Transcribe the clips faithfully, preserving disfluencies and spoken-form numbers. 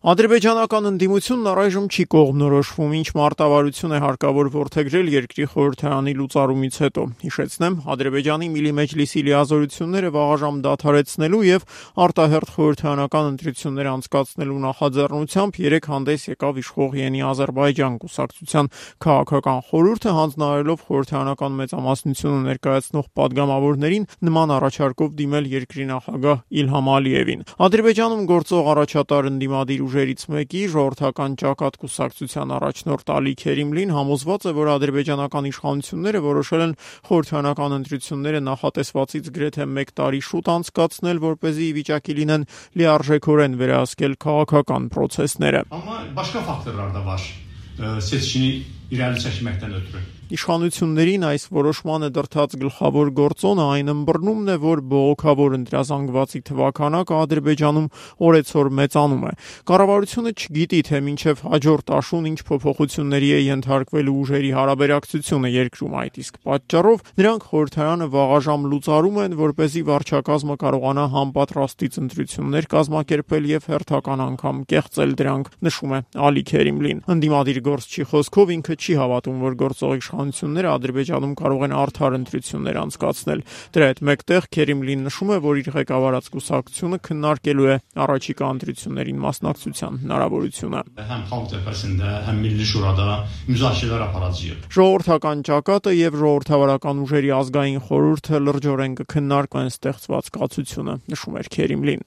Ադրբեջանական ընդդիմությունն առայժմ չի կողմնորոշվում, ինչ մարտավարություն է հարկավոր որդեգրել երկրի խորհրդարանի լուծարումից հետո։ Հիշեցնեմ, Ադրբեջանի Միլի Մեջլիսի լիազորությունները վաղաժամ դադարեցնելու եւ արտահերթ խորհրդարանական ընտրություններ անցկացնելու նախաձեռնությամբ երեք հանդես եկավ իշխող Յենի Ադրբեջան կուսակցության քաղաքական խորհուրդը, հանձնարարելով խորհրդարանական մեծամասնությունը ներկայացնող падգամավորներին նման առաջարկով դիմել երկրի նախագահ Իլհամ Ալիևին։ Ադրբեջանում գործող առաջատար ընդդիմադիր ուժերից մեկի ժողովրդական ճակատ կուսակցության առաջնորդ Ալի Քերիմլին համոզված է, որ ադրբեջանական իշխանությունները որոշել են խորհրդարանական ընտրությունները նախատեսվածից գրեթե մեկ տարի շուտ անցկացնել, որպեսզի ի վիճակի լինեն լիարժեքորեն վերահսկել քաղաքական պրոցեսները։ Amma başqa faktorlar da var. Seçkini irəli çəkməkdən ötürü. Իշխանություններին այս որոշմանը դրդած գլխավոր գործոնը այն ըմբռնումն է, որ բողոքավոր ընտրազանգվածի թվաքանակը Ադրբեջանում օրեցօր մեծանում է։ Կառավարությունը չգիտի, թե մինչև հաջորդ աշուն ինչ փոփոխությունների է ենթարկվելու ուժերի հարաբերակցությունը երկրում, այդ իսկ պատճառով նրանք խորհրդարանը վաղաժամ լուծարում են, որպեսզի վարչակազմը կարողանա համապատրաստից ընտրություններ կազմակերպել եւ հերթական անգամ կեղծել դրանք, նշում է Ալի Քերիմլին։ Ընդդիմադիր գործչի խոսքով ինքը չի հավատում, որ գործող իշխանությունները Ադրբեջանում կարող են արդար ընտրություններ անցկացնել։ Դրա հետ մեկտեղ Քերիմլին նշում է, որ իր ղեկավարած կուսակցությունը քննարկելու է առաջիկա ընտրություններին մասնակցության հնարավորությունը։ Həm Xalq Cəbhəsində, həm Milli Şurada müzakirələr aparacağıq։ Ժողովրդական ճակատը եւ ժողովրդավարական ուժերի ազգային խորհուրդը լրջորեն կքննարկեն ստեղծված կացությունը, նշում էր Քերիմլին։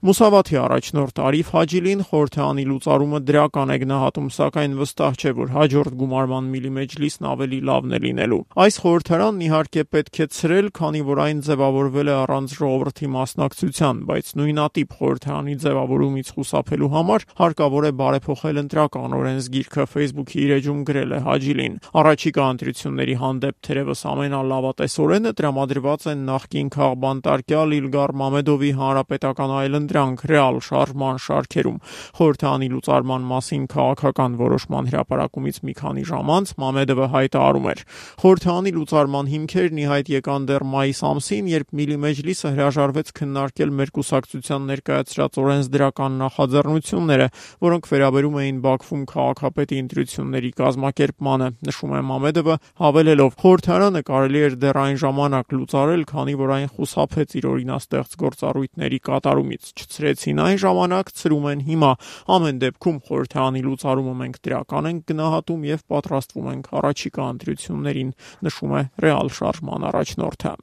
Մուսավաթի առաջնորդ Արիֆ Հաջիլին խորհրդարանի լուծարումը դրական է գնահատում, սակայն վստահ չէ, որ հաջորդ գումարման Միլի Մեջլիսն ավելի լավն է լինելու։ Այս խորհրդարանն իհարկե պետք է ցրել, քանի որ այն ձևավորվել է առանց ժողովրդի մասնակցության, բայց նույնատիպ խորհրդարանի ձևավորումից խուսափելու համար հարկավոր է բարեփոխել ընտրական օրենսգիրքը, Facebook-ի իր էջում գրել է Հաջիլին։ Առաջիկա ընտրությունների հանդեպ թերևս ամենալավատեսորենը տրամադրված են նախկին քաղբանտարկյալ Իլգար Մամեդովի հանրապետական այլընտրանք ռեալ շարժման շարքերում։ Խորհրդարանի լուծարման մասին քաղաքական որոշման հրապարակումից մի քանի ժամ անց Մամեդովը հայտարարում էր. Խորհրդարանի լուծարման հիմքերն ի հայտ եկան դեռ մայիս ամսին, երբ Միլի Մեջլիսը հրաժարվեց քննարկել մեր կուսակցության ներկայացրած օրենսդրական նախաձեռնությունները, որոնք վերաբերում էին Բաքվում քաղաքապետի ընտրությունների կազմակերպմանը, նշում է Մամեդովը, հավելելով. Խորհրդարանը կարելի էր դեռ այն ժամանակ լուծարել, քանի որ այն խուսափեց իր օրինաստեղծ գործառույթների կատարումից։ Չցրեցին այն ժամանակ, ցրում են հիմա։ Ամեն դեպքում խորհրդարանի լուծարումը մենք դրական ենք գնահատում եւ պատրաստվում ենք առաջիկա ընտրություններին, նշում է ռեալ շարժման առաջնորդը։